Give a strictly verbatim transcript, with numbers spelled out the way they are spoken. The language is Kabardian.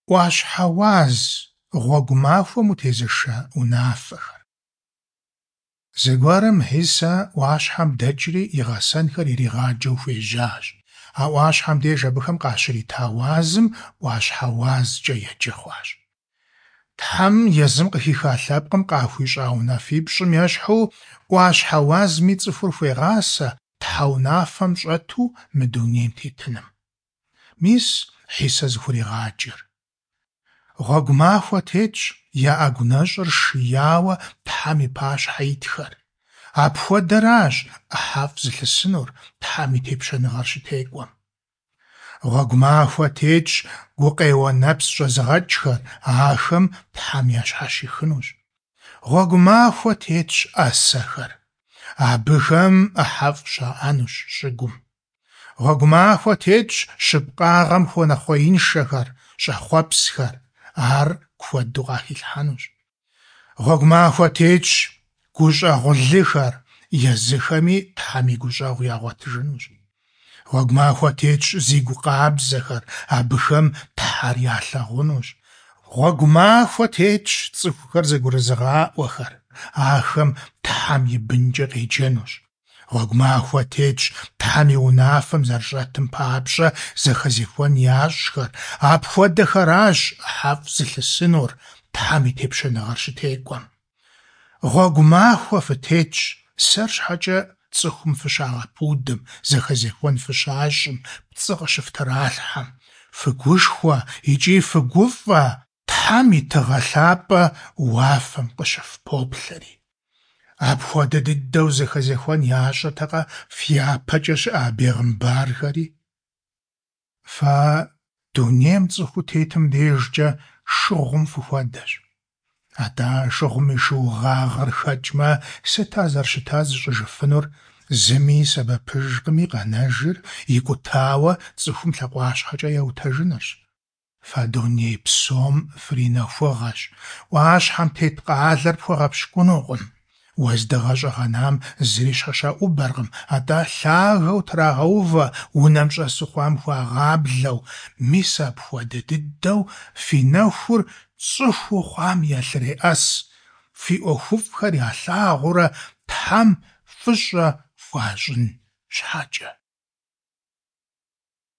Ӏуащхьэ уаз гъуэгу махуэм утезышэ унафэхэр. Зэгуэрым Хьисэ ӏуащхьэм дэкӏри и гъэсэнхэр иригъаджэу хуежьащ. А ӏуащхьэм деж абыхэм къащрита уазым ӏуащхьэ уазкӏэ еджэ хъуащ. Тхьэм езым къыхиха лъэпкъым къахуищӏа унафипщӏым ещхьу, ӏуащхьэ уазми цӏыхур хуегъасэ Тхьэ унафэм щӏэту мы дунейм тетыным. Мис Хьисэ зыхуригъаджэр. Гъуэгу махуэ тетщ я ӏэгу нэщӏыр шияуэ Тхьэм и пащхьэ итхэр. Апхуэдэращ ӏыхьэфӏ зылъысынур Тхьэм и тепщэныгъэр щытекӏуэм. Гъуэгу махуэ тетщ гукъеуэ нэпс щӏэзыгъэкӏхэр, ахэм Тхьэм ящхьэщихынущ. Гъуэгу махуэ тетщ ӏэсэхэр, абыхэм ӏыхьэфӏ щаӏэнущ щӏыгум. Гъуэгу махуэ тетщ щыпкъагъэм хуэнэхъуеиншэхэр, щӏэхъуэпсхэр, ар куэду къахилъхьэнущ. Гъуэгу махуэ тетщ гущӏэгъулыхэр, езыхэми Тхьэм и гущӏэгъу ягъуэтыжынущ. Гъуэгу махуэ тетщ зигу къабзэхэр, абыхэм Тхьэр ялъагъунущ. Гъуэгу махуэ тетщ цӏыхухэр зэгурызыгъаӏуэхэр, ахэм Тхьэм и бынкӏэ къеджэнущ. Гъуэгу махуэ тетщ Тхьэм и унафэм зэрыщӏэтым папщӏэ зэхэзехуэн ящӏхэр, апхуэдэхэращ ӏыхьэфӏ зылъысынур Тхьэм и тепщэныгъэр щытекӏуэм. Гъуэгу махуэ фытетщ, сэр щхьэкӏэ цӏыхум фыщагъэпудым, зэхэзехуэн фыщащӏым, пцӏы къыщыфтралъхьэм. Фыгушхуэ икӏи фыгуфӏэ, Тхьэм и тыгъэ лъапӏэ уафэм къыщыфпоплъэри. Апхуэдэ дыдэу зэхэзехуэн ящӏыртэкъэ фяпэкӏэ щыӏа бегъымбархэри? Фэ дунейм цӏыхуу тетым дежкӏэ шыгъум фыхуэдэщ. Атӏэ шыгъум и шыугъагъэр хэкӏмэ, сыт ар зэрыщыта зыщӏыжыфынур? Зыми и сэбэпыжкъыми, къэнэжыр икӏутауэ цӏыхум лъакъуащхьэкӏэ еутэжынырщ. Фэ дуней псом фринэхугъэщ. Ӏуащхьэм тет къалэр пхуэгъэпщкӏунукъым. Уэздыгъэ щӏэгъэнам зыри щхьэщаӏубэркъым, атӏэ лъагэу трагъэувэ, унэм щӏэсу хъуам хуагъаблэу. Мис апхуэдэ дыдэу фи нэхур цӏыхуу хъуам ялъреӏэс, фи ӏуэхуфӏхэр ялъагъуурэ Тхьэм фӏыщӏэ хуащӏын щхьэкӏэ.